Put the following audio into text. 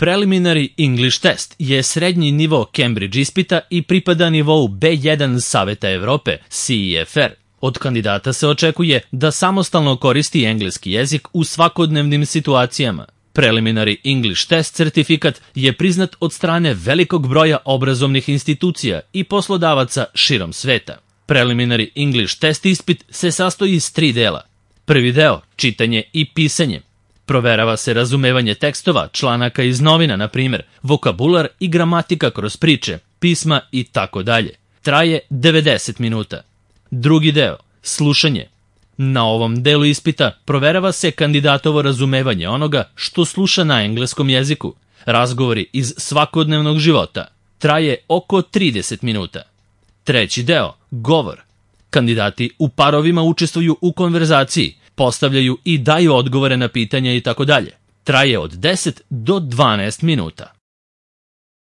Preliminary English Test je srednji nivo Cambridge ispita i pripada nivou B1 Saveta Evrope, CEFR. Od kandidata se očekuje da samostalno koristi engleski jezik u svakodnevnim situacijama. Preliminary English Test certifikat je priznat od strane velikog broja obrazovnih institucija i poslodavaca širom sveta. Preliminary English Test ispit se sastoji iz 3 dela. Prvi deo, čitanje i pisanje. Proverava se razumevanje tekstova, članaka iz novina, na primjer, vokabular i gramatika kroz priče, pisma i tako dalje. Traje 90 minuta. Drugi deo, slušanje. Na ovom delu ispita proverava se kandidatovo razumevanje onoga što sluša na engleskom jeziku. Razgovori iz svakodnevnog života. Traje oko 30 minuta. Treći deo, govor. Kandidati u parovima učestvuju u konverzaciji, postavljaju i daju odgovore na pitanja i tako dalje. Traje od 10 do 12 minuta.